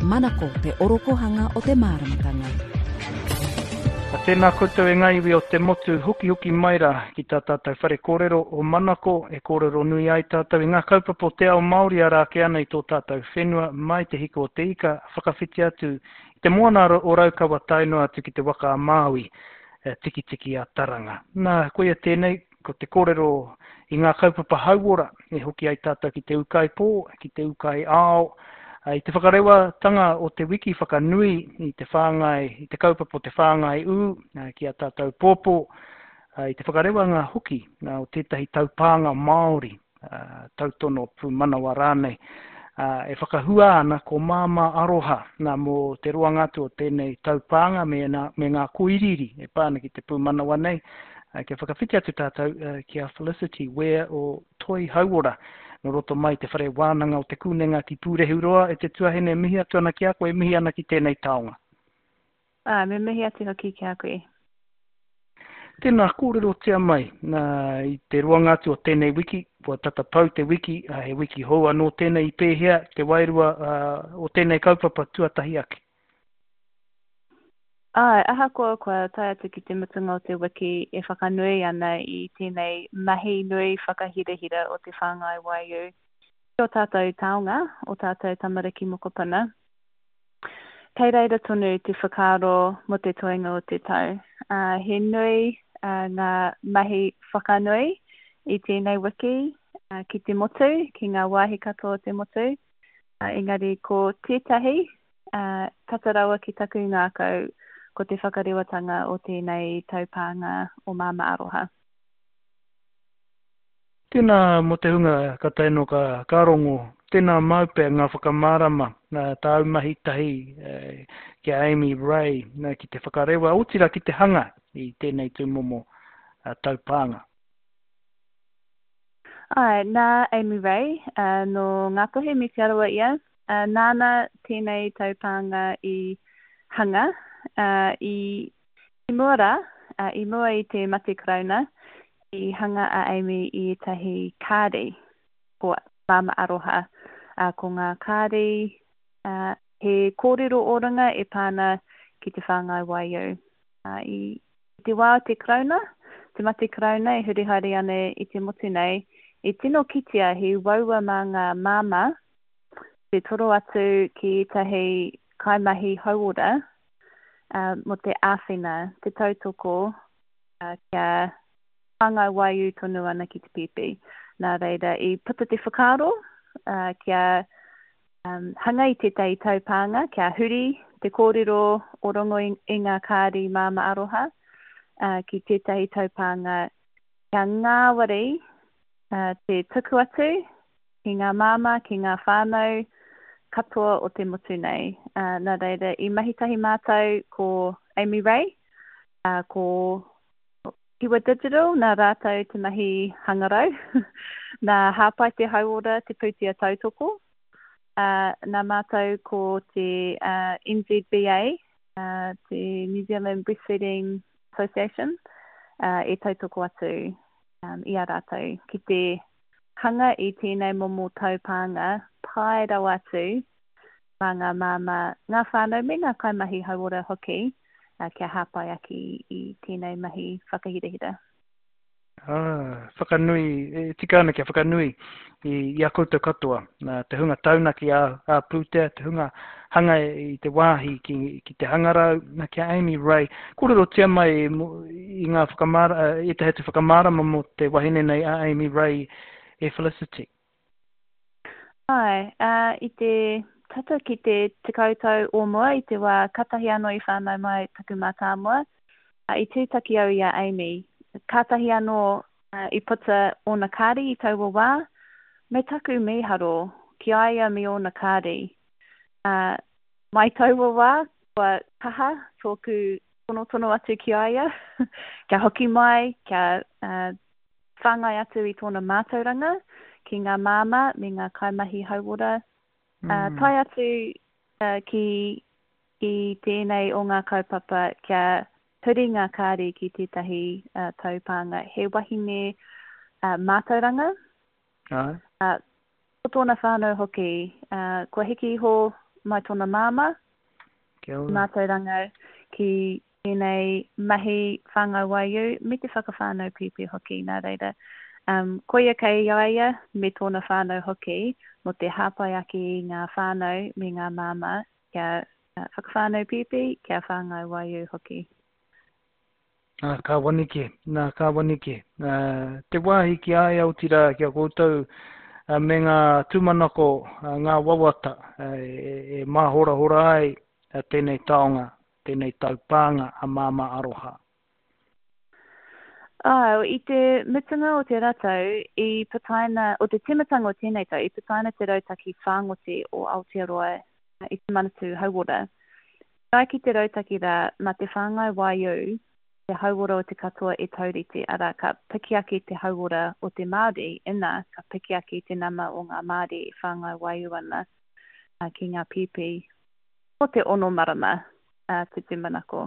Manako te orokohanga o te māramatanga. A tēnā koutou e ngā iwi o te motu, hokihoki mai rā ki tā tātou whare kōrero o Manako e kōrero nui ai tātou i ngā kaupapa o te ao Māori ara ake ana i tō tātou whenua mai te hiko o te ika whakawhiti atu i te moana o Raukawa tae noa atu ki te waka a Māui, Tikitiki a Taranga. Nā, koia tēnei, Ko te kōrero i ngā kaupapa hauora e hoki ai tātou ki te ūkaipō, ki te ūkai ao, i te whakarewatanga o te wiki whakanui i te whāngai, i te kaupapa o te whāngai ū ki a tātou pōpō, i te whakarewanga hoki o tētahi taupānga Māori tautono pūmanawa rānei, e whakahua ana ko Māmā Aroha, nā, mō te roanga atu o tēnei taupānga me, nā, me ngā kōiriiri e pā ana ki te pūmanawa nei, kia whakawhiti atu tātou ki a Felicity Ware o Toi Hauora, nō roto mai te Whare Wānanga o Te Kūnenga ki Pūrehuroa, e te tuahine e mihi atu ana ki a koe, e mihi ana ki tēnei taonga. Ā, me mihi atu hoki ki a koe. Tēnā, kōrerotia mai, nā, i te roanga atu o tēnei wiki, kua tata pau te wiki, ā, he wiki hou anō tēnei i pēhea te wairua, ā, o tēnei kaupapa tuatahi ake? Āe, ahakoa kua tae atu ki te mutunga o te wiki e whakanui ana i tēnei mahi nui whakahirahira o te whāngai waiū ki ō tātou taonga, ō tātou tamariki mokopuna, Kei reira tonu te whakaaro mō te toenga o te tau. He nui ngā mahi whakanui i tēnei wiki ki te motu, ki ngā wāhi katoa o te motu. Engari ko tētahi, tata rawa ki taku ngākau, ko te whakarewatanga o tēnei taupānga o Māmā Aroha. Tēnā mō te hunga ka tae noa ka, ka rongo, tēnā māu pea ngā whakamārama, nā, tāu mahi tahi ki a Amy Ray, nā, ki te whakarewa, otirā ki te hanga i tēnei tūmomo taupānga. Āe, nā Amy Ray, nō Ngāpuhi me Te Arawa ia, nāna tēnei taupānga i hanga, i I mua rā, i mua i te mate karauna, i hanga a Amy i ētahi kāri, ko Māmā Aroha. Ko ngā kāri, he kōrero o runga e pā ana ki te whāngai waiū. I te wā o te karauna, te mate karauna e huri haere ana i te motu nei, i tino kitea he uaua mā ngā māmā te toro atu ki ētahi kaimahi hauora mō te āwhina, te tautoko kia whāngai waiū tonu ana ki te pēpi. Nā reira, i puta te whakaaro kia hanga i tētahi taupānga, kia huri te kōrero o rongo i ngā kāri māmā aroha ki tētahi taupānga kia ngāwari te tuku atu ki ngā māmā, ki ngā whānau katoa o te motu nei. Nā reira, i mahi tahi mātou ko Amy Ray, ko Kiwa Digital, nā rātou te mahi hangarau, nā Hāpai te Hauora te pūtea tautoko, nā mātou ko te NZBA, te New Zealand Breastfeeding Association, e tautoko atu i a rātou ki te hanga i tēnei momo taupānga pai rawa atu mā ngā māmā, ngā whānau me ngā kaimahi hauora hoki kia hāpai ake i tēnei mahi whakahirahira. Ā, whakanui, e tika ana kia whakanui i, i a koutou katoa, nā, te hunga taunaki ā, ā-pūtea, te hunga hanga i te wāhi ki, ki te hangarau, nā, ki a Amy Ray. Kōrerotia mai i ngā whakamāra, ētahi atu whakamārama mō te wahine nei a Amy Ray e Felicity. Āe, ā, i te tata ki te tekau tau o mua i te wā katahi anō i whānau mai taku mātāmua, i tūtaki au i a Amy. Kātahi anō i puta ōna kāri i taua wā, me taku mīharo ki a ia me ōna kāri. Ā, mai taua wā, kua kaha tōku tonotono atu ki a ia, kia hoki mai, kia whāngai atu i tōna mātauranga ki ngā māmā me ngā kaimahi hauora, ā, tae atu ki, ki tēnei o ngā kaupapa kia huri ngā kāri ki tētahi taupānga. He wahine mātauranga, Āe. Ā, ko tōna whānau hoki, ā, kua hiki iho mai tōna māmā. Kia ora. Mātauranga ki tēnei mahi whāngai waiū me te whakawhānau pīpī hoki, nā reira, um, koia kei a ia me tōna whānau hoki mō te hāpai ake i ngā whānau me ngā māmā kia whakawhānau pīpī, kia whāngai waiū hoki. Nā, ka wanike, nā, ka wanike. Te wāhi ki a ia, otirā, ki a koutou, me ngā tūmanako, ngā wawata e māhorahora ai tēnei taonga, tēnei taupānga a Māmā Aroha. Āe, i te mutunga o te ratau, i putaina, o te tīmatanga o tēnei tau, i putaina te rautaki whāngote o Aotearoa i te Manatū Hauora. E ai ki te rautaki rā, mā te whāngai waiū te hauora o te katoa e taurite, arā, ka piki ake te hauora o te Māori, inā, ka piki ake te nama o ngā Māori e whāngai waiū ana ki ngā pīpī o te ono marama te tūmanako.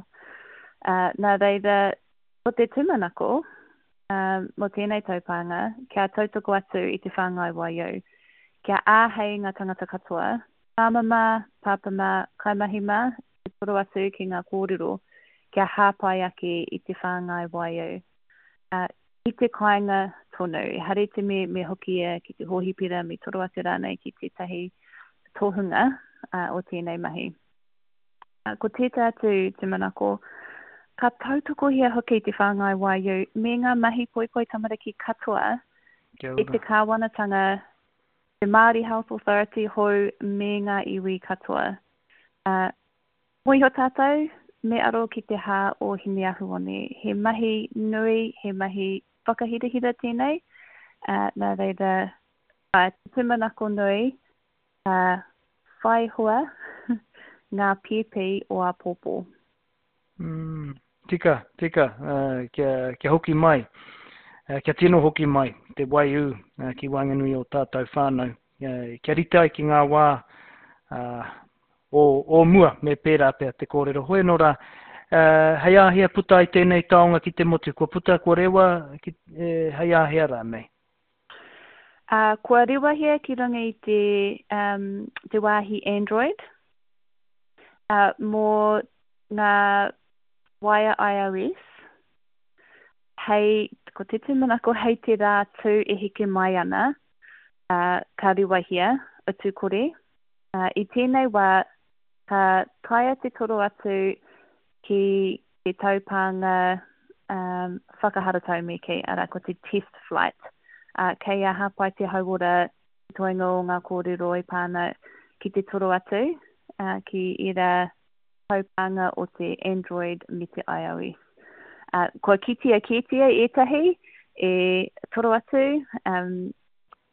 Nā reira, ko te tūmanako mō tēnei taupānga, kia tautoko atu i te whāngai waiū, kia āhei ngā tangata katoa, māmā mā, pāpā mā, kaimahi mā, te toro atu ki ngā kōrero kia hāpai ake i te whāngai waiū. Ki te kāinga tonu, ehara i te me me hoki ia ki te hōhipera, me toro atu rānei ki tētahi tohunga o tēnei mahi. Ko tētahi atu tūmanako, ka tautokohia hoki te whāngai waiū me ngā mahi poipoi tamariki katoa e te kāwanatanga, te Māori Health Authority hou me ngā iwi katoa. Mōhio tātou, me aro ki te hā o Hineahuone. He mahi nui, he mahi whakahirahira tēnei, nā reira, āe, te tūmanako nui, ka whai hua ngā pīpī o āpōpō. Mm, tika, tika, kia, kia hoki mai, kia tino hoki mai te waiū ki waenganui o tātou whānau, kia rite ai ki ngā wā o, o mua, me pērā pea te kōrero. Hoi anō rā, hei āhea puta ai tēnei taonga ki te motu? Kua puta, kua rewa, ki, e, hei āhea rānei? Uh, kua rewahia ki runga i te, um, te wāhi Android uh, mō ngā waea iOS. Hei, ko te tūmanako hei te rā tū e heke mai ana, uh, ka rewahia, utu kore. Uh, I tēnei wā, ka taea te toro atu ki te taupānga um, whakaharatau me kī, arā, ko te test flight. Uh, kei a Hāpai te Hauora te toenga o ngā kōrero e pā ana ki te toro atu uh, ki ērā taupānga o te Android me te iOS. Uh, kua kitea kētia ētahi e toro atu, um,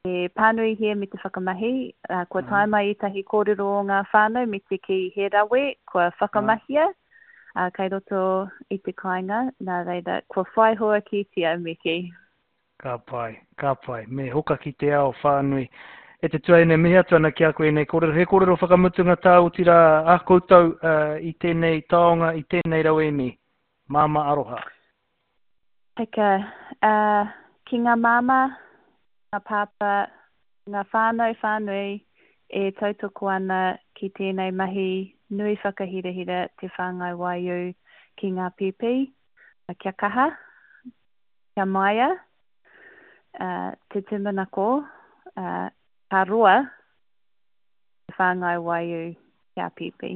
E pānuihia me te whakamahi, kua tae mai ētahi kōrero o ngā whānau me te kī he rawe kua whakamahia kei roto i te kāinga, nā reira, kua whai hua kētia me kī. Ka pai, ka pai. Me hoka ki te ao whānui. E te tuahine, mihi atu ana ki a koe ēnei kōrero. He kōrero whakamutunga tā otirā a koutou i tēnei taonga, i tēnei rauemi. Māmā aroha. Tika, ā, ki ngā māmā, ngā pāpā, ngā whānau whānui e tautoko ana ki tēnei mahi nui whakahirahira te whāngai waiū ki ngā pēpi, kia kaha, kia māia, ā, te tūmanako, ā, ka roa te whāngai waiū kia pēpi.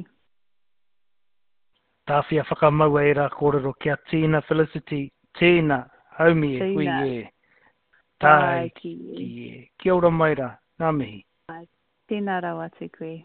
Tāwhia whakamaua ērā kōrero kia tīna Felicity, tīna, haumi e hui e. Tāiki e. Kia ora mai rā, ngā mihi. Tēnā rawa atu koe.